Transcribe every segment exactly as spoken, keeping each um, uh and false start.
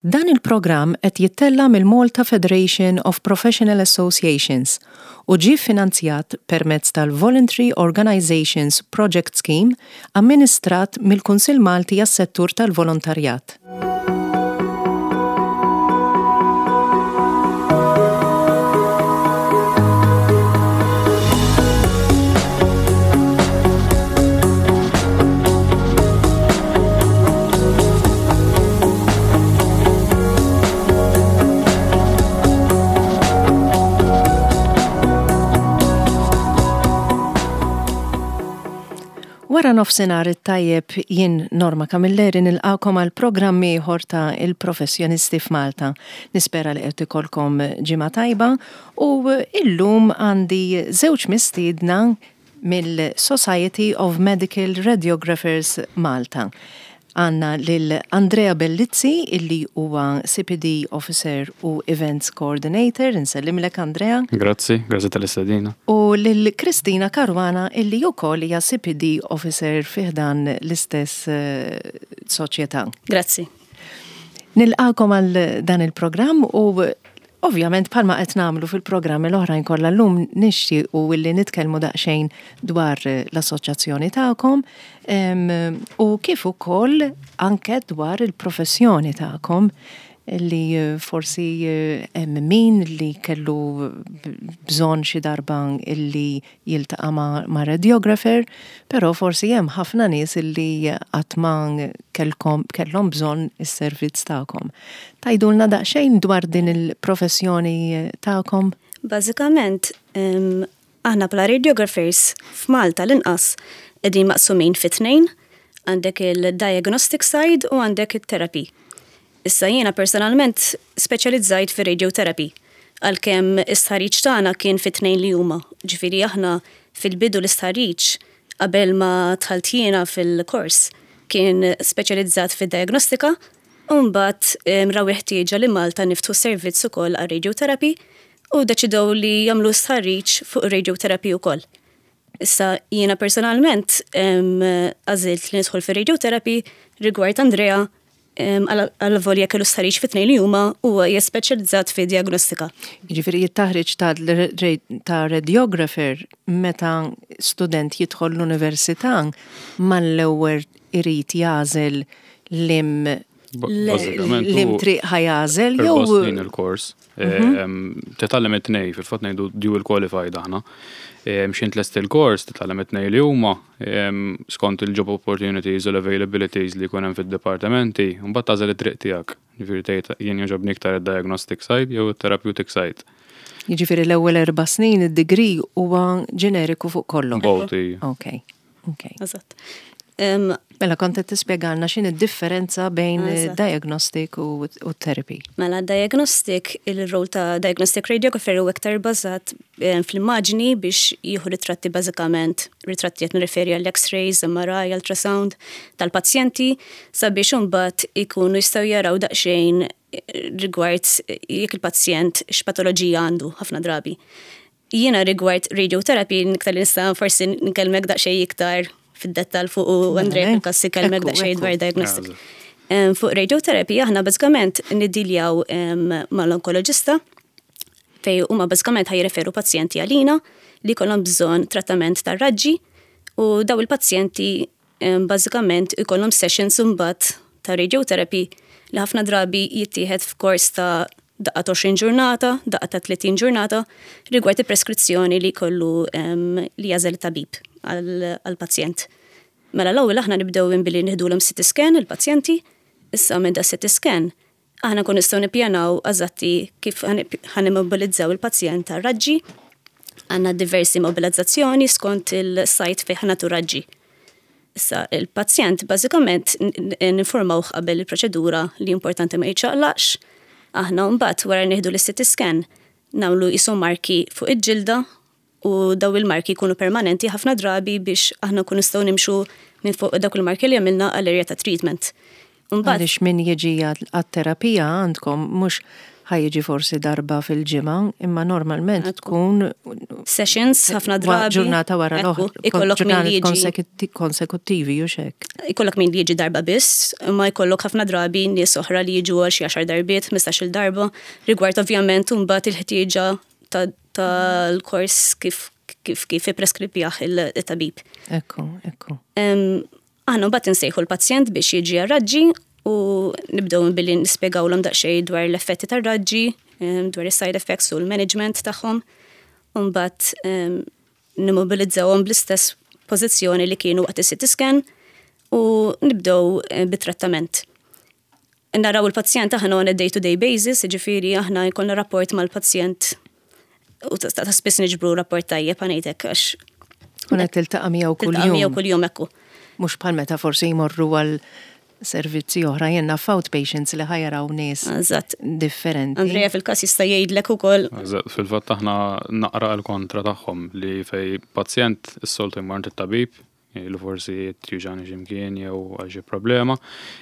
Dan il-programm qed jittella' mill-Malta Federation of Professional Associations u ġie finanzjat permezz tal-Voluntary Organizations Project Scheme amministrat mill-Kunsill Malti għas-Settur tal-Volontarjat. Wara nofsinhar it-tajjeb, jien Norma Camilleri nilqakom għal programm ieħor ta' Il-Professjonisti f'Malta. Nispera li qed ikolkom ġimgħa tajba u illum għandi żewġ mistiedna mill-Society of Medical Radiographers Malta. Għandna lil Andrea Bellizzi, illi huwa C P D Officer u Events Coordinator. Insellimlek, Andrea. Grazzi, grazzi tal-istedina. U lil Kristina Caruana, illi wkoll hija C P D Officer fi ħdan l-istess eh, soċjetà. Grazzi. Nilqakom għal dan il-programm u ovvjament, bħalma qed nagħmlu fil-programmi l-oħrajn kollha, llum nixtiequ illi nitkellmu daqsxejn dwar l-assoċjazzjoni tagħkom u kif ukoll anke dwar il-professjoni tagħkom, li forsi hemm min li kellu bżonn xi darba illi jiltaqa' ma', ma radiographer, però forsi hemm ħafna nies illi qatt ma kellkom kellhom bżonn is-servizz tagħkom. Tgħidulna daqsxejn dwar din il-professjoni tagħkom? Bażikament, aħna bħala radiographers f'Malta l-inqas qegħdin maqsumin fi tnejn, għandek il-diagnostic side u għandek il-therapy. Issa jiena personalment speċjalizzajt fi radiotherapy, għalkemm is-stħarriġ tagħna kien fi tnejn li huma. Ġifieri aħna fil-bidu l-istħarriġ, qabel ma dħalt jiena fil-kors, kien speċjalizzat fid-diagnostika u mbagħad raw ħtieġa li Malta niftħu servizz ukoll għal radiotherapy u deċidew li jagħmlu stħarriġ fuq radiotherapy ukoll. Issa jiena personalment għażilt li nidħol fir radiotherapy. Rigward Andrea, għal-volja kellu stħarriġ fit-tnejn li huma, huwa speċjalizzat fi diagnostika. Jiġifieri it-taħriġ ta' radiographer, meta student jidħol l-università, mal-ewwel irid jagħżel liem liem triq ħa jagħżel jew il-kors. Mhm. Titgħallem it-tnejn, fil-fatt ngħidu dual qualified aħna. X'ħin tlesti il-kors, titgħallem it-tnejn li huma skont il-job opportunities u l-availabilities li jkun hemm fid-dipartimenti, mbagħad tagħżel it-triq tiegħek. Ġifieri tgħid jien jogħġobni iktar id-diagnostic side jew it-therapeutic side. Jiġifieri l-ewwel erba' snin id-degree huwa ġeneriku fuq kollox. Both. Ok. Ok. Eżatt. Mela kont qed tispjegalna x'inhi d-differenza bejn diagnostic u therapy. Mela diagnostic, il-rol ta' diagnostic radiographer u iktar bażat fl-immaġni biex jieħu ritratti bażikament, ritratti qed nirreferi għall x-rays, M R I, ultrasound tal-pazjenti sabiex imbagħad ikunu jistgħu jaraw daqsxejn rigward jekk il-pazjent x'patoloġija għandu ħafna drabi. Jiena rigward radiotherapy iktar li nista' forsi nkellmek daqsxejn iktar fid-dettal fuq u Andrea fil-każ ikellmek daqsxejn dwar diagnostic. Fuq radiotherapy aħna bażikament niddiljaw mal-onkoloġista, fej huma bażikament ħa jirreferu pazjenti għalina li kollhom bżonn trattament tar-raġġi, u daw il-pazjenti bażikament ikollhom sessions imbagħad ta' radiotherapy li ħafna drabi jittieħed f'kors ta' daqqa għoxrin ġurnata, daqqa ta' tletin ġurnata, rigward il-preskrizzjoni li kollu li jagħżel tabib għal-pazjent. Mela l-ewwel aħna nibdew billi nieħdulhom C T scan il-pazjenti, issa minn da C T scan aħna nkun nistgħu nippjanaw eżatti kif ħa nimmobilizzaw il-pazjent tar-raġġi. Għandna diversi mobilizzazzjoni skont il-site fejn ħa nagħtu raġġi. Issa il-pazjent bażikament ninformawh qabel il-proċedura li importanti ma jiċċaqlaqx. Aħna mbagħad wara nieħdu l-C T scan nagħmlu qisu marki fuq il-ġilda u daw il-marki jkunu permanenti ħafna drabi biex aħna nkunu nistgħu nimxu minn fuq dawk il-marki li għamilna għall-area ta' treatment. Għaliex min jiġi għat-terapija għandkom mhux ħa jiġi forsi darba fil-ġimgħa, imma normalment tkun sessions ħafna drabi. Ġurnata wara l-oħra. Ikollok min li jiġi konsekuttivi u hekk. Ikollok min li jiġi darba biss, imma jkollok ħafna drabi nies oħra li jiġu għal xi għaxar darbiet, ħmistax-il darba, rigward ovvjament mbagħad il-ħtieġa tal-kors kif kif kif ippreskribjah il-tabib. Ekku, ekku. Aħna mbagħad insejħu l-pazjent biex jiġi għar-raġġi u nibdew billi nispjegawlhom daqsxejn dwar l-effetti tar-raġġi, dwar is-side effects u l-management tagħhom. U mbagħad nimmobilizzawhom bl-istess pożizzjoni li kienu waqt is-C T scan u nibdew bit-trattament. Naraw il-pazjent aħna on a day-to-day basis, ġifieri aħna jkollna rapport mal-pazjent u ta' spiss niġbru rapport tajjeb, ħa ngħidlek, għax Kun qed tiltaqa' miegħu tiltaqa' miegħu kuljum. Kuljum, ekku. Mhux bħal meta forsi jmorru għal servizzi oħra, jenna outpatients li ħa jaraw nies Eżatt. differenti. Andrea fil-każ jista' jgħidlek ukoll. Eżatt, fil-fatt aħna naqra l-kontra tagħhom, li fej pazjent is-soltu jmur it-tabib, li forsi juġgħu x'imkien jew għal xi problema.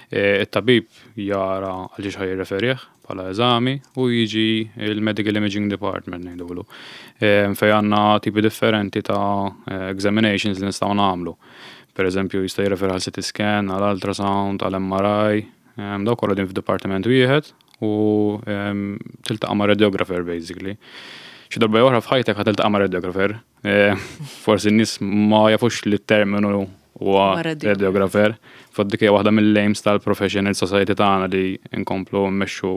E, It-tabib jara għal xiex ħa jirreferih bħala eżami u jiġi il-Medical Imaging Department, ngħidulu. E, Fej għandna tipi differenti ta' examinations li nistgħu nagħmlu. Per eżempju, jista' jirreferi għal C T scan, għal ultrasound, għal M R I, em, daw kollha din f'dipartiment wieħed u em, tiltaqa' ma' radiographer basically. Xi darba oħra f'ħajtek ħa tiltaqa' ma' radiographer. Eh, Forsi n-nies ma jafux li t-terminu huwa Huwa radiographer. Radiographer. Fatt dik hija waħda mill-aims tal-Professional Society tagħna li nkomplu mmexxu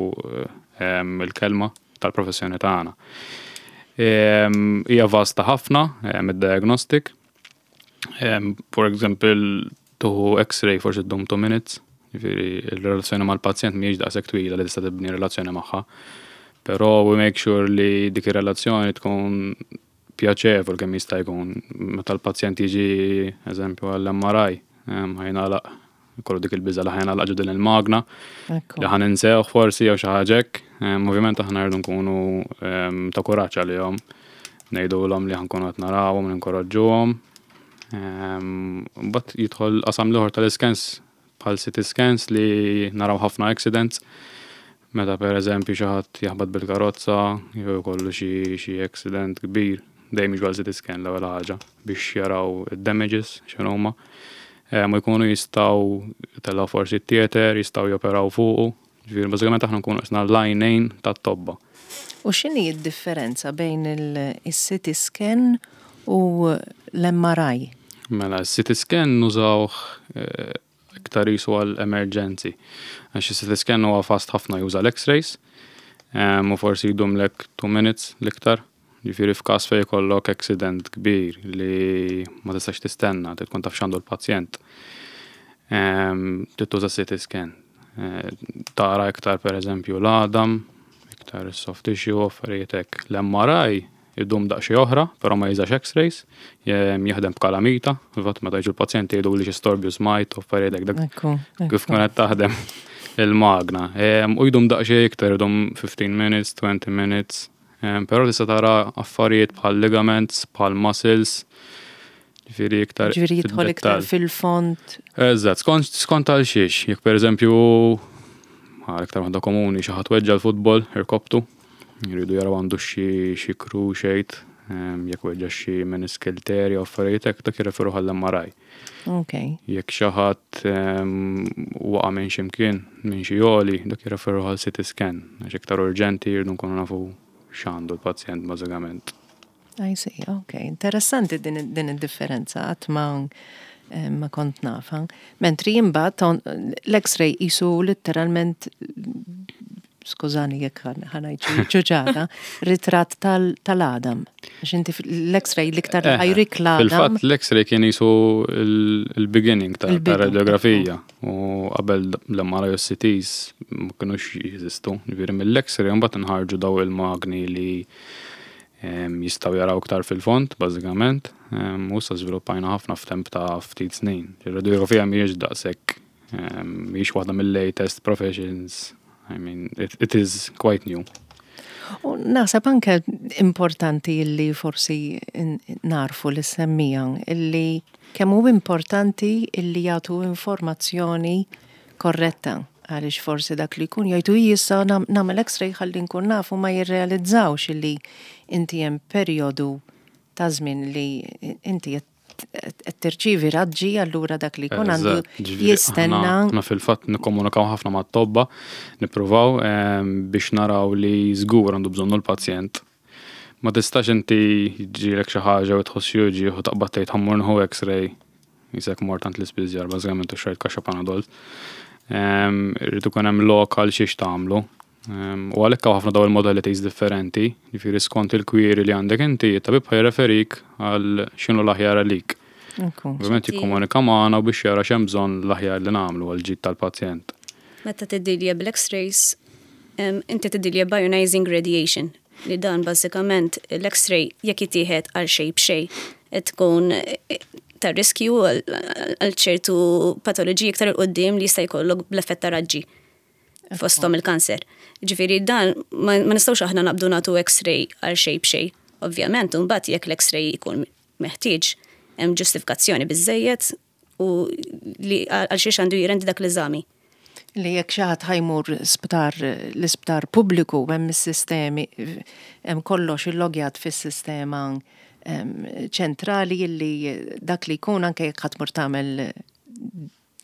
em, il-kelma tal-professjoni tagħna. Em, Hija vasta ħafna em, id-diagnostic. Em, For example, tieħu X-ray forsi ddum two minutes, ġifieri il-relazzjoni mal-pazjent mhijiex daqshekk twila li tista' tibni relazzjoni magħha. Però we make sure li dik ir-relazzjoni tkun pjaċevol kemm jista' jkun. Meta l-pazjent jiġi, eżempju, għall-M R I, em, ħa jingħalaq, kollu dik il-biża' li ħa jingħalaq ġo din il-magna, Ekku. li ħa ninsewh forsi jew xi ħaġa hekk. Em, Ovvjament aħna rridu nkunu em, ta' kuraġġ għalihom. Ngħidulhom li ħa nkunu qed narawhom, ninkoraġġuhom. Mbagħad jidħol qasam l-ieħor tal-scans, bħal C T scans li naraw ħafna accidents. Meta per eżempju xi ħadd jaħbad bil-karozza jew jkollu xi xi accident kbir, dejjem jiġu għal C T scan l-ewwel ħaġa biex jaraw id-damages x'inhuma. Em, U jkunu jistgħu tellgħu forsi theater, jistgħu joperaw fuqu. Ġifieri bażikament aħna nkunu qisna l-għajnejn tat-tobba. U x'inhi d-differenza bejn il-C T scan u l-M R I? Mela, C T scan nużawh eh, iktar jisu għal emergency. Għax il-C T scan huwa fast ħafna, juża l-X-rays, em, u forsi jdumlek two minutes l-iktar. Ġifieri f'każ fejn jkollok accident kbir li ma tistax tistenna, trid tkun taf x'għandu l-pazjent. Em, Trid tuża C T scan. Eh, Tara iktar, per eżempju, l-għadam, iktar soft tissue, affarijiet hekk. L-M R I idum daqsxejn oħra, però ma jużax X-rays, jem- jaħdem b'kalamita, fil-fatt meta jiġu l-pazjenti jgħidu li xi storbju smajt u affarijiet hekk, dak Ekku, kif tkun qed taħdem il-magna. Em, U jdum daqsxejn iktar, idum fifteen minutes, twenty minutes, Em, però tista' tara affarijiet bħal ligaments, bħal muscles, ġifieri iktar Ġifieri jidħol iktar fid-dettall. fil-fond. Eżatt, skont skont għal xiex, jekk per eżempju, għal iktar waħda komuni, xi ħadd weġġa l-futbol, irkoptu, jridu jaraw għandu xi xi cruciate, em, jekk weġġa xi meniscal tear jew affarijiet hekk, dak jirreferu għall-M R I. Ok. Jekk xi ħadd em, waqa' minn xi mkien, minn xi għoli, dak jirreferu għal C T scan, għax iktar urġenti, jridu nkunu nafu x'għandu l-pazjent bażikament. I see, ok. Interessanti din, din id-differenza, għad ma, eh, ma kont nafa. Mentri imbagħad l-X-ray jisu letteralment, skużani jekk ħa ngħid ċuċata, ritratt tal-għadam. Għax inti l-X-ray l-iktar Eh, ħa jurik l-għadam. Fil-fatt l-X-ray kien jisu il-beginning ta' Il-bidu, radiografija u qabel l-M R I u C Ts ma kienux jeżistu. Ġifieri mill-X-ray mbagħad nħarġu daw il-magni li em, jistgħu jaraw iktar fil-fond, bażikament, em, u issa żviluppajna ħafna f'temp ta' ftit snin. Ir-radiografija mhijiex daqshekk em, mhijiex waħda mill-latest professions. I mean, it, it is quite new. U naħseb anke importanti illi forsi n- narfu li semmija illi kemm hu importanti illi jagħtu informazzjoni korretta. Għaliex forsi dak li jkun jgħidu issa nagħmel x-ray ħalli nkun nafu, ma jirrealizzawx li inti hemm perjodu ta' żmien li inti qed tirċievi raġġi, allura dak li jkun għandu jistenna. Aħna fil-fatt nikkomunikaw ħafna mat-tobba, nippruvaw biex naraw li żgur għandu bżonnu l-pazjent. Ma tistax inti ġilek xi ħaġa u tħoss xi u taqbad tgħid ħa mmur nieħu x-ray, qisek mort għand l-ispiżjar bażikament u xtrajt kaxxa Panadol. Irid ikun hemm lok għal xiex tagħmlu. U għalhekk hawn ħafna daw il-modalities differenti, jiġifieri skont il-query li għandek inti, it-tabib ħa jirreferik għal x'inhu l-aħjar għalik. Ovvjament jikkomunika magħna u biex jara x'hemm bżonn l-aħjar li nagħmlu għal ġid tal-pazjent. Meta tiddilja bl-X-rays, inti tiddilja b'ionizing radiation, li dan bażikament l-X-ray jekk jittieħed għal xejn b'xejn tkun ta' riskju għal ċertu patoloġiji iktar 'il quddiem li jista' jkollok bl-effett ta' raġġi, fosthom il-kanser. Ġifieri dan ma nistgħux aħna naqbdu nagħtu X-ray għal xejn b'xejn. Ovvjament, mbagħad jekk l-X-ray jkun meħtieġ, hemm ġustifikazzjoni biżejjed u li għal xiex għandu jirendi dak l-eżami. Li jekk xi ħadd ħa jmur sptar, l-isptar pubbliku, hemm is-sistemi, hemm kollox illogjat fis-sistema ċentrali illi dak li jkun, anke jekk ħa tmur tagħmel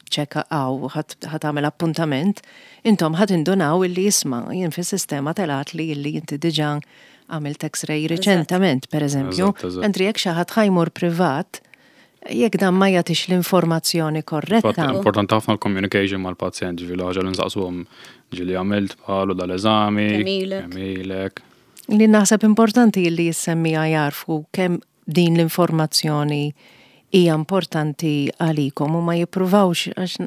check għaw ħa tagħmel appuntament, intom ħa tindunaw illi isma', jien fis-sistema telat li illi inti diġà għamilt X-ray reċentament, per eżempju. Mentri jekk xi ħadd ħa jmur privat, jekk dan ma jagħtix l-informazzjoni korretta. Importanti ħafna l-communication mal-pazjent, ġifieri ħaġa li nsaqsuhom ġieli għamilt bħalu dal-eżami. Kemm ilek. Li naħseb importanti li jissemmija jarfu kemm din l-informazzjoni hija importanti għalikom u ma jippruvawx, għax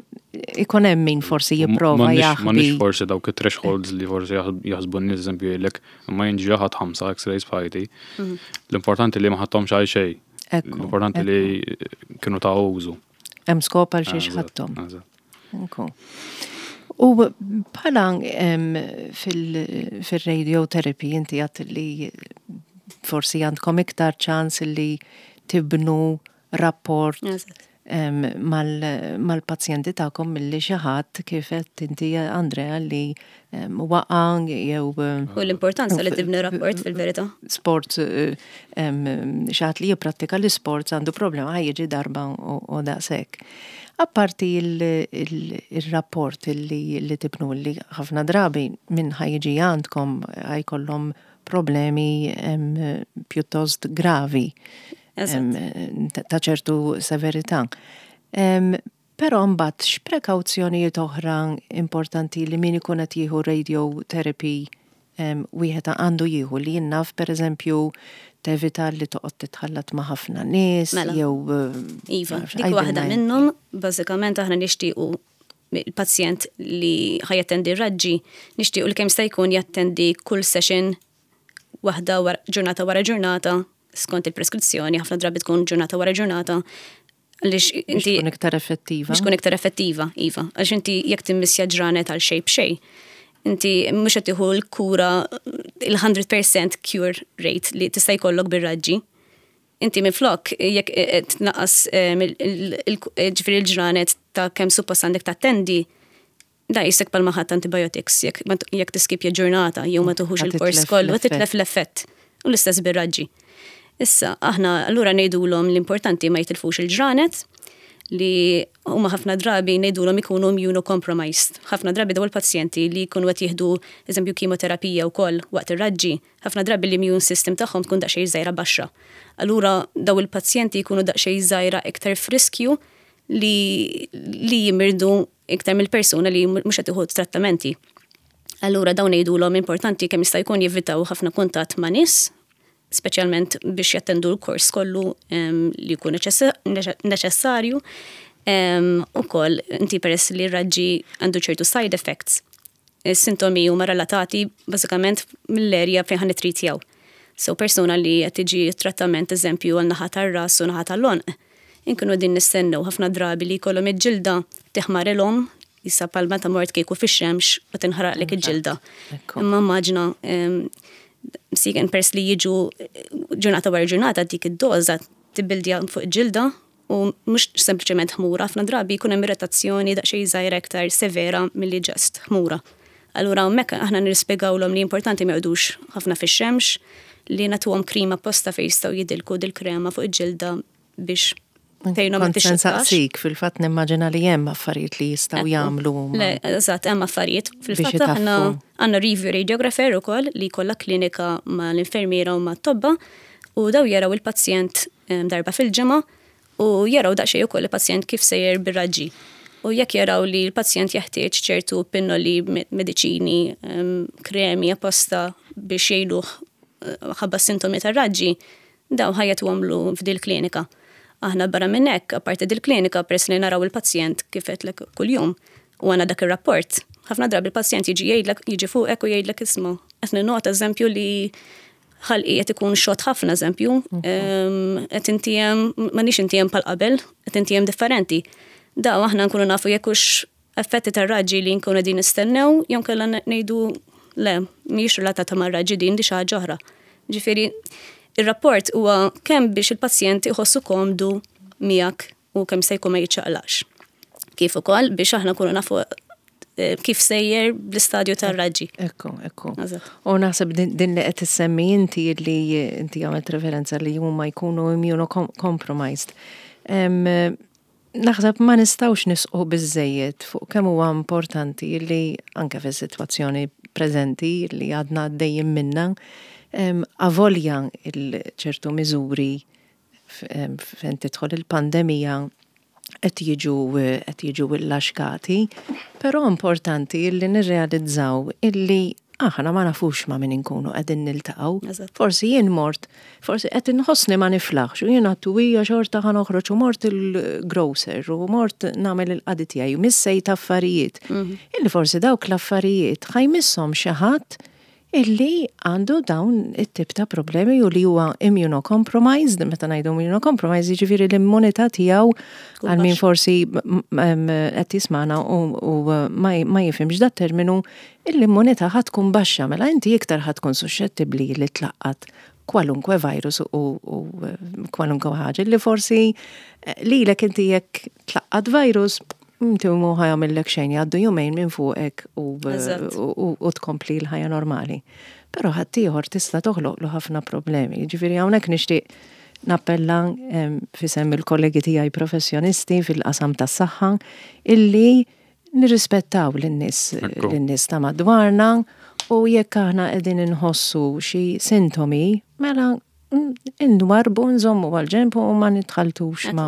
ikun hemm min forsi jipprova jaħbi. M'għandniex forsi dawk it-thresholds li forsi jaħsbu n-nies, eżempju jgħidlek ma jien ġieli ħadt ħamsa X-rays f'ħajti. Mhm. L-importanti li ma ħadthomx għal xejn. L-importanti li kienu ta' użu. Hemm skop għal xiex ħadthom. U bħala fil-radiotherapy inti għedt li forsi għandkom iktar ċans li tibnu rapport mal-pazjenti tagħkom milli xi ħadd, kif qed inti, Andrea, li waqa' jew U l-importanza li tibni rapport fil-verità. Sport, xi ħadd li jipprattika l-sport għandu problema, ħa jiġi darba u daqshekk. Apparti il-rapport li tibnu, li ħafna drabi min ħa jiġi għandkom ħa jkollhom problemi pjuttost gravi ta' ċertu severità. Però mbagħad x'prekawzjonijiet oħra importanti li min ikun qed jieħu radiotherapy wieħed għandu jieħu, li jien naf, pereżempju, tevita li toqgħod titħallat ma' ħafna nies mela. jew Iva, dik waħda minnhom. Bażikament aħna nixtiequ il-pazjent li ħa jattendi raġġi, nixtiequ li kemm jista' jkun jattendi kull session waħda ġurnata wara ġurnata skont il-preskrizzjoni, ħafna drabi tkun ġurnata wara ġurnata. Għaliex inti tkun iktar effettiva. Biex tkun iktar effettiva, iva. Għaliex inti jekk timmissja ġranet għal xejn b'xejn, inti mhux qed tieħu l-kura, il-mija fil-mija cure rate li tista' jkollok bir-raġġi. Inti minflok jekk tnaqqas ġifieri l-ġranet ta' kemm suppost għandek tattendi, da qisek bħalma ħadt antibiotics, jekk tiskipja ġurnata jew ma tuħux il-kors kollu, titlef l-effett. U l-istess bir-raġġi. Issa, aħna allura ngħidulhom l-importanti ma jitilfux il-ġranet, li huma ħafna drabi ngħidulhom ikunu immunocompromised. Ħafna drabi daw il-pazjenti li jkunu qed jieħdu, eżempju, kimoterapija wkoll waqt ir-raġġi, ħafna drabi l-immune system tagħhom tkun daqsxejn żgħira baxxa. Allura daw il-pazjenti jkunu daqsxejn żgħira iktar f'riskju li, li jimirdu iktar mill-persuna li mhux qed tieħu trattamenti. Allura dawn ngħidulhom importanti kemm jista' jkun jevitaw ħafna kuntatt ma' nies, speċjalment biex jattendu l-kors kollu li jkun neċessarju. Ukoll, inti peress li raġġi għandu ċertu side effects. Is-sintomi huma relatati bażikament mill-erja fejn ħa nittritjaw. So persuna li qed tiġi trattament, eżempju, għal naħa tar-ras u naħa tal-għonq, inkunu din nistennew ħafna drabi li jkollhom il-ġilda tiħmarilhom, issa bħalma ta' mort kieku fix-xemx u tinħaraqlek il-ġilda. Imma immaġina siken pers li jiġu ġurnata wara ġurnata, dik id-doża tibbildja fuq ġilda u U mhux sempliċement ħmura, ħafna drabi jkun hemm irritazzjoni daqsxejn żgħira iktar severa milli just ħmura. Allura hemmhekk aħna nispjegawlhom li importanti ma joqogħdux ħafna fix-xemx, li nagħtuhom krema apposta fejn jistgħu jidilku dil-krema fuq il-ġilda biex tgħinhom ma Kont se tixxottax. nsaqsik, fil-fatt nimmaġina li hemm affarijiet li jistgħu jagħmlu huma. Le, eżatt, hemm affarijiet. Fil-fatt Biex aħna itaffu. għandna review radiographer ukoll li jkollha klinika ma' l-infermiera u ma' tobba u daw jaraw il-pazjent em, darba fil-ġimgħa u jaraw daqsxejn ukoll il-pazjent kif sejjer bir-raġġi. U jekk jaraw li l-pazjent jeħtieġ ċertu pinnoli, me- mediċini, em, kremi apposta biex jgħinuh eh, ħabba sintomi tar-raġġi, daw ħa jagħtuhomlu f'dil klinika. Aħna barra minn hekk, apparti dil-klinika, peress li naraw il-pazjent kif għedtlek kuljum u għandna dak ir-rapport. Ħafna drabi il-pazjent jiġi jgħidlek, jiġi fuqek u jgħidlek, "Isma', qed ninnota eżempju li ħalqi qed ikun xott ħafna eżempju, em, qed intiegħem m'għandix intiegħem bħal qabel, qed intiegħem differenti." Daw aħna nkunu nafu jekk hux effetti tar-raġġi li nkunu qegħdin nistennew, jew kellha ngħidu le, mhijiex relatata mar-raġġi din, di xi ħaġa oħra. Ġifieri, ir-rapport huwa kemm biex il-pazjent iħossu komdu miegħek u kemm se jkun ma jiċċaqlax. Kif ukoll biex aħna nkunu nafu eh, kif sejjer bl-istadju tar-raġġi. Ekku, ekku. Eżatt. U naħseb din, din li qed issemmi inti, li inti għamilt referenza li huma jkunu immunocompromised. Em, Naħseb ma nistgħux nisħqu biżżejjed fuq kemm huwa importanti li anke fis-sitwazzjoni preżenti li għadna għaddejjin minna, em, avolja il-ċertu miżuri f- em, fejn tidħol il-pandemija qed jiġu qed jiġu illaxkati, però importanti illi nirrealizzaw illi aħna ma nafux ma' min inkunu qegħdin niltaqgħu. Eżatt. Forsi jien mort, forsi qed inħossni ma niflaħx u jien għattu hija xorta ħa noħroġ u mort il-grocer u mort nagħmel il-qadi tiegħi u missejt affarijiet. Illi forsi dawk l-affarijiet ħa jmisshom xi ħadd illi għandu dawn it-tip ta' problemi u li huwa immunocompromised. Meta ngħidu immunocompromised, jiġifieri l-immunità tiegħu, għal min forsi m- m- qed jismana u, u ma ma jifhimx dat terminu, l-immunità ħa tkun baxxa, mela inti iktar ħa tkun suscettibbli li tlaqqat kwalunkwe virus u, u kwalunkwe ħaġa li forsi eh, lilek inti jekk tlaqqat virus inti mhu ħa jagħmillek xejn, jgħaddu jumejn minn fuqek u, Eżatt. u, u, u tkompli l-ħajja normali. Però ħaddieħor tista' toħloqlu ħafna problemi. Ġifieri hawnhekk nixtieq nappella em, f'isem il-kollegi tiegħi professjonisti fil-qasam tas-saħħa illi nirrispettaw lin-nies Ekku. lin-nies ta' madwarna u jekk aħna qegħdin inħossu xi sintomi, mela mm, inwarbu, nżommu għal-ġenb u ma nitħaltux ma,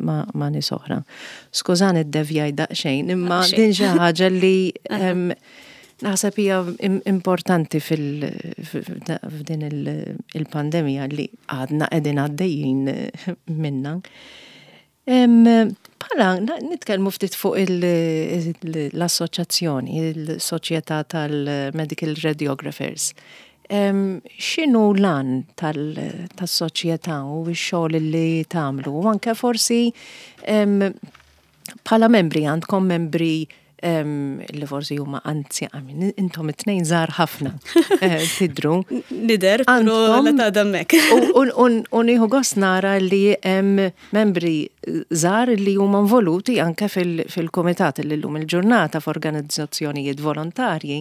ma, ma nies oħra. Skużani ddevjajt daqsxejn, imma Xejn. din xi ħaġa li em, naħseb hija im- importanti fil- f'din il- il-pandemija li għadna qegħdin għaddejjin minna. Em, Bħala, na- nitkellmu ftit fuq il- il- l-assoċjazzjoni, il-Soċjetà tal-Medical Radiographers. Em, X'inhu l-għan tas-soċjetà u x-xogħol li tagħmlu? U anke forsi em, bħala membri, għandkom membri em, li forsi huma anzi, I mean, intom it-tnejn żgħar ħafna eh, tidru. Nidher, però Għandkom- la ta' dammek. U- U u- u nieħu gost nara li hemm membri żgħar li huma involuti anke fil- fil-komitat li llum il-ġurnata f'organizzazzjonijiet volontarji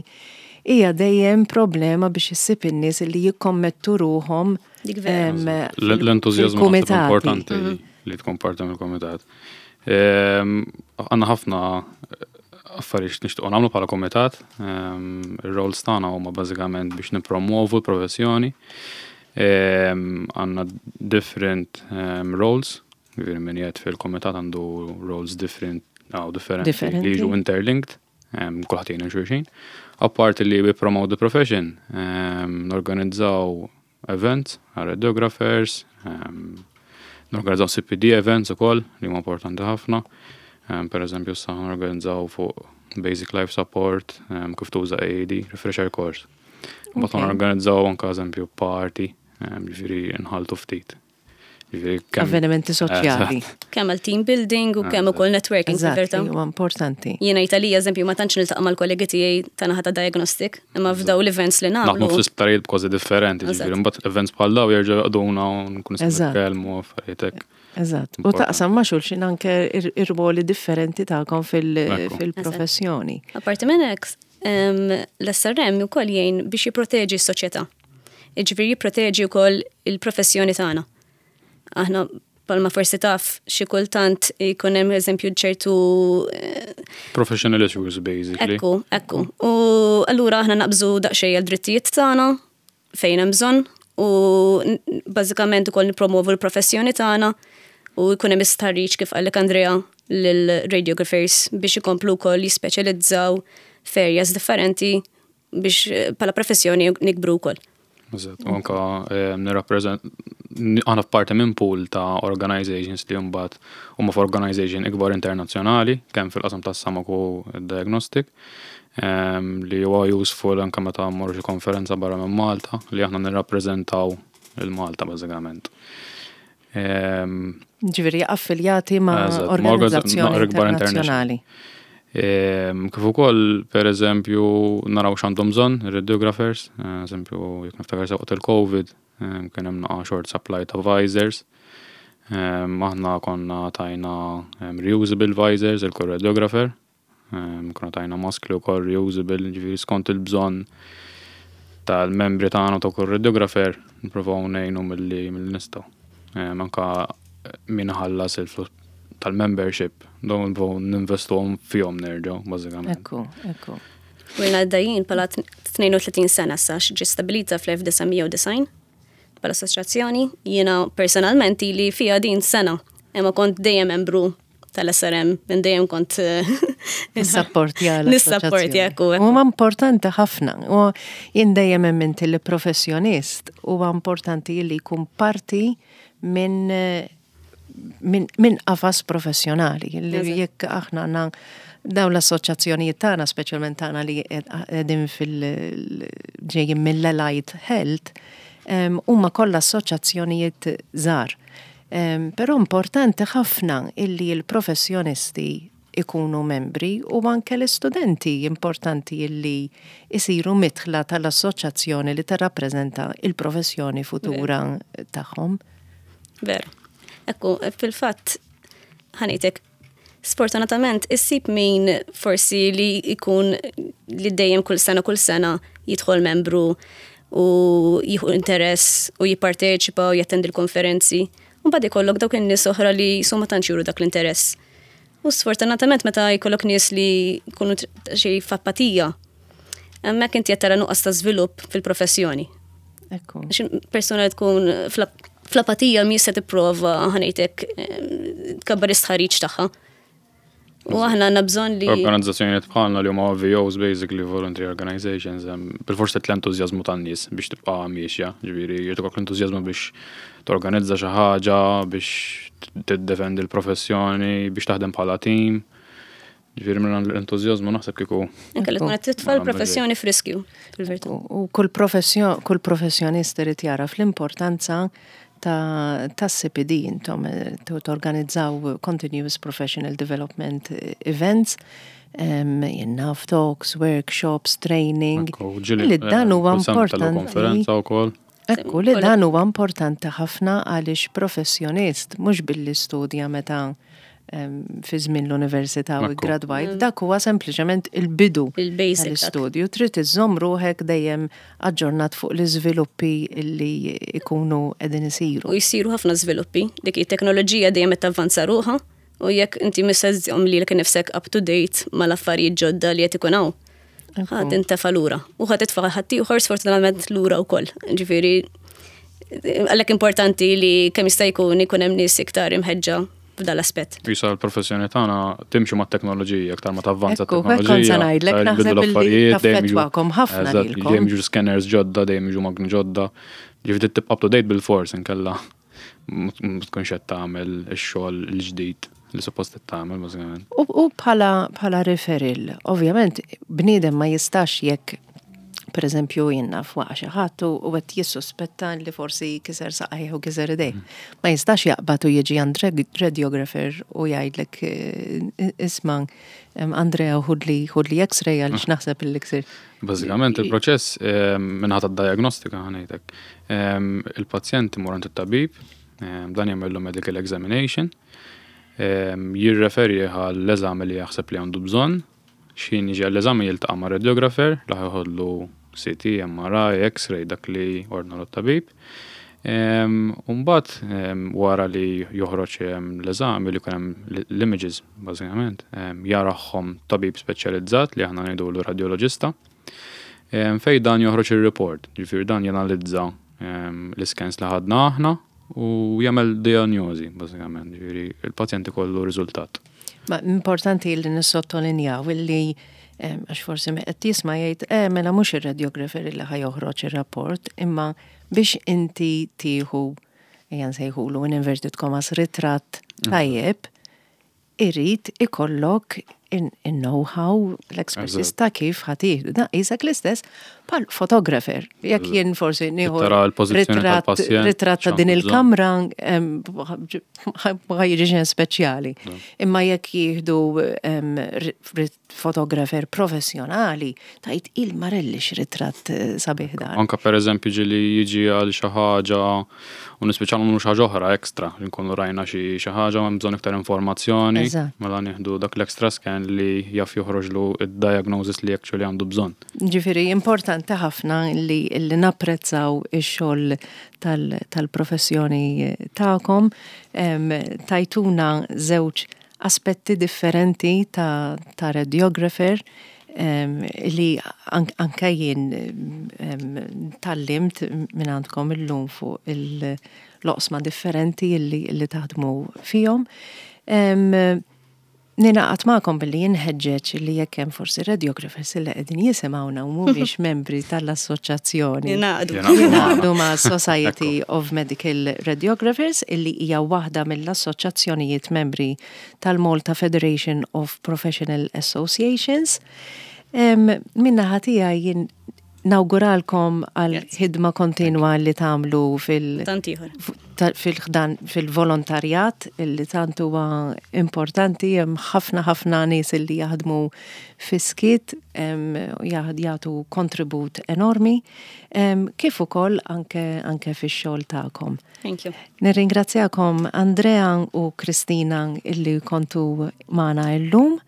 hija dejjem problema biex issib in-nies li jikkommettu ruhom Dik vera. em, L- L-entużjażmu naħseb fil-kumitati. importanti li tkun parti mill-komitat. Ehm, Għandna ħafna affarijiet nixtiequ nagħmlu bħala komitat. Ehm, Ir-roles tagħna huma bażikament biex nippromovu l-professjoni. Ehm, Għandna different ehm, roles, ġifieri min qiegħed fil-komitat għandu roles different, aw differenti Differenti. li jiġu interlinked, ehm, kulħadd jgħin xulxin. Apparti li we promote the profession, ehm, norganizzaw events għal radiographers, ehm, norganizzaw C P D events ukoll li huma importanti ħafna. Um, per eżempju, sa norganizzaw fuq Basic Life Support, um, kif tuża A E D, refresher course. Mbagħad Okay. norganizzaw anke eżempju party, um, ġifieri nħaltu ftit. Ġifieri kemm- Avvenimenti soċjali. Kemm għal team building u kemm ukoll networking Eżatt, fil-verità. li huwa importanti. Jiena Italija, eżempju, ma tantx niltaqa' mal-kollegi tiegħi ta' naħa ta' diagnostic, imma f'daw l-events li Naħdmu nagħmlu. fl-isptarijiet b'kważi differenti, Eżatt. ġifieri mbagħad events bħal daw jerġgħu jaqduna u nkun nistgħu Eżatt. nitkellmu u affarijiet hekk. Eżatt. U Importanti. taqsam ma' xulxin anke ir- ir-ruoli differenti tagħkom fil- Ekku. fil-professjoni. Apparti minn hekk, em, l-S R M ukoll jgħin biex jipproteġi s-soċjetà. Jiġifieri jipproteġi wkoll il-professjoni tagħna. Aħna palma forsi taf xi kultant jkun hemm eżempju ċertu eh, Professional issues, basically. Ekku, ekku. U allura aħna naqbżu daqsxejn għal drittijiet tagħna fejn hemm bżonn u n- bażikament ukoll nippromovu l-professjoni tagħna u jkun hemm istħarriġ, kif qallek Andrea, lil radiographers biex ikomplu wkoll jispeċjalizzaw f'areas differenti biex eh, bħala professjoni nikbru wkoll. Eżatt, u anka eh, nirrappreżent aħna f'parti minn pool ta' organizations li mbagħad huma f'organization ikbar internazzjonali, kemm fil-qasam tas-SAMOC u diagnostic, em, li huwa useful anke meta mmorru xi konferenza barra minn Malta, li aħna nirrappreżentaw il-Malta bażikament. Em, Ġifieri affiljati ma' Eżatt, ma' organizzazzjoni organizza- ikbar internazzjonali. Ehm, Kif ukoll, per eżempju, naraw x'għandhom bżonn ir-radiographers, eh, eżempju, jekk niftakar sew waqt il-Covid, ehm, kien hemm naqa short supply ta' visors. Ehm, Aħna konna tajna ehm, reusable visors il kull radiographer, Ehm, konna tajna maskli wkoll reusable, ġifieri skont il-bżonn tal-membri tagħna ta' kull radiographer, nippruvaw ngħinu milli milli nistgħu. Ehm, Anka min ħallas il-flus tal-membership, dawn nipprovaw ninvestuhom fihom nerġgħu, bażikament. Ekku, ekku. U ilna għaddejjin bħala tnejn u tletin sena sa ġi stabilita fl-elf disa' mija u disgħin bħala assoċjazzjoni. Jiena personalment ili fija din sena, imma kont dejjem membru tal-S R M, minn dejjem kont eh, Nissapporti għal Nissapporti, ekku, ekku. Huwa importanti ħafna. U jien dejjem emmint li professjonist huwa importanti li jkun parti minn min, min qafas professjonali. Li Eżatt. jekk aħna għandna dawn l-assoċjazzjonijiet tagħna, speċjalment tagħna li qegħdin fil-ġejjin mill-Allied Health, em, huma kollha assoċjazzjonijiet żgħar. Em, Però importanti ħafna illi l-professjonisti ikunu membri u anke l-istudenti importanti illi isiru midħla tal-assoċjazzjoni li tirrappreżenta il-professjoni futura tagħhom. Veru. Ekku, fil-fatt, ħa ngħidlek, sfortunatament, issib min forsi li jkun li dejjem kull sena kull sena jidħol membru u jieħu interess u jipparteċipa u jattendi l-konferenzi. U mbagħad ikollok dawk in-nies oħra li su ma tantx juru dak l-interess. U sfortunatament meta jkollok nies li jkunu xi f'apatija, hemmhekk inti qed tara nuqqas ta' żvilupp fil-professjoni. Ekku. Għax persuna li tkun fl- fl-apatija mi se tipprova, ħa ngħidlek, tkabbar istħarriġ tagħha. U aħna għandna bżonn li Organizzazzjonijiet bħalna li huma V Os, basically voluntary organizations, em, bil-forsi l-entużjażmu tan-nies biex tibqa' miexja, ġifieri jrid ikollok l-entużjażmu biex torganizza xi ħaġa, biex tiddefendi l-professjoni, biex taħdem bħala team. Ġifieri minn l-entużjażmu naħseb kieku Anke li tkun qed titfa' l-professjoni f'riskju, fil-verità. U kull professjon, kull professjonist irid jaraf l-importanza ta' ta' C P D. Intom eh, to- torganizzaw Continuous Professional Development eh, Events, um, jinnaf talks, workshops, training. Ekku, ġieli, Li dan eh, huwa kull sena ntellu importanti. konferenza wkoll. Ekku, li dan huwa importanti ħafna għaliex professjonist mhux billi studja meta em, fi żmien l-università u Ekku. gradwajt, dak huwa sempliċement il-bidu Il-basic dak. tal-istudju. Trid iżżomm ruħek dejjem aġġornat fuq l-iżviluppi li ikunu qegħdin isiru. U jsiru ħafna żviluppi, dik it-teknoloġija dejjem qed tavvanza ruħha u jekk inti mhux se żżomm lilek nifsek up to date mal-affarijiet ġodda li qed ikun hawn, ħa tintefa' lura. U ħa titfa' ħaddieħor sfortunatament lura wkoll. Ġifieri għalhekk importanti li kemm jista' jkun ikun hemm nies iktar imħeġġa f'dal-aspett. Jisa l-professjoni tagħna timxi mat-teknoloġija, aktar ma tavvanza Ekku, hekk kont t-teknoloġija. se ngħidlek, aktar naħseb jbidlu illi l-affarijiet, dejjem jiġu- taffettwakom ħafna Eżatt, lilkom. dejjem jiġu scanners ġodda, dejjem jiġu magni ġodda. Ġifieri tibqa' up to date bil-fors, inkella ma tkunx qed tagħmel ix-xogħol il-ġdid li suppost qed tagħmel bażikament. U, u bħala, bħala referral, ovvjament, bniedem ma jistax jekk Per eżempju, jien naf waqa' xi ħadd u qed jissuspetta li forsi kiser saqajh u kiser idejh. Ma jistax jaqbad u jiġi għand radiographer u jgħidlek eh, isma' Andrea ħudli ħudli x-ray għaliex naħseb il ksir. Bażikament il-proċess min-naħa tad-diagnostika ħa ngħidlek. Il-pazjent imur għand it-tabib, dan jagħmel medical examination, jirreferi għall-eżami li jaħseb li għandu bżonn, x'ħin jiġi għall-eżami jiltaqa' ma' radiographer li ħa jeħodlu C T, M R I, X-ray, dak li ordna t-tabib. Umbagħad wara li joħroġ l-eżami li hemm l-images bażikament, jarahom tabib speċjalizzat li aħna ngħidulu radioloġista, fej dan joħroġ il-report, ġifieri dan janalizza l-scans li ħadna aħna u jagħmel diagnosi bażikament, ġifieri il-pazjent ikollu riżultat. Ma importanti li nissottolinjaw illi għax forsi min qed jisma' jgħid, eh, mela mhux ir-radiographer li ħa joħroġ ir-rapport, imma biex inti tieħu ejja nsejħulu in inverted commas ritratt mm. tajjeb, irid ikollok in-know-how, l-expertise ta' kif ħa tieħdu. Da, qisek l-istess bħal photographer. Jekk jien forsi nieħu ritratt ta' din il-kamra ma jiġi xejn speċjali. Imma jekk jieħdu photographer professjonali, tgħid il-marelli ritratt eh, sabiħ dan. Anka per eżempju ġieli jiġi għal xi ħaġa u nispiċċaw nagħmlu xi ħaġa oħra ekstra, nkunu rajna xi ħaġa hemm bżonn iktar informazzjoni, mela nieħdu dak l-extra scan li jaf joħroġlu id-diagnosis li actually għandu bżonn. Ġifieri importanti ħafna li, li napprezzaw ix-xogħol tal-professjoni tagħkom, tajtuna żewġ aspetti differenti ta', ta radiographer li anka jien tgħallimt minn għandkom illum fuq l-oqsma differenti li, li taħdmu fihom. Ningħaqad magħkom billi inħeġġeġ li jekk hemm forsi radiographers li qegħdin jisimgħuna u mhumiex membri tal-assoċjazzjoni. Jingħaqdu ma' Society of Medical Radiographers, illi hija waħda mill-assoċjazzjonijiet membri tal-Malta Federation of Professional Associations. Min-naħa tiegħi jien nawguralkom għal ħidma kontinwa li tagħmlu fil- fil-ħdan fil-volontarjat illi tant huwa importanti. Hemm ħafna ħafna nies illi jaħdmu fis-skiet, jagħtu kontribut enormi, kif ukoll anke anke fix-xogħol tagħkom. Thank you. Nirringrazzjakom Andrea u Kristina illi kontu magħna illum.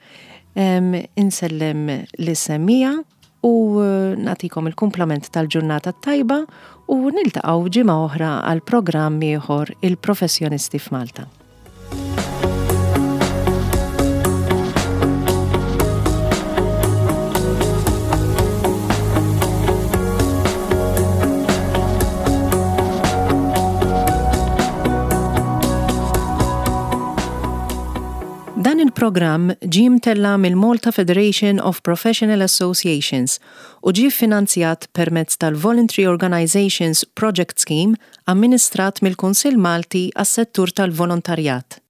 Insellem lis-semmiegħa u eh, nagħtikom il-kumplament tal-ġurnata tajba u niltaqgħu ġimgħa oħra għal programm ieħor, Il-Professjonisti f'Malta. Dan il-programm ġie mtella' mill-Malta Federation of Professional Associations u ġie finanzjat permezz tal-Voluntary Organizations Project Scheme amministrat mill-Kunsill Malti għas-settur tal-volontarjat.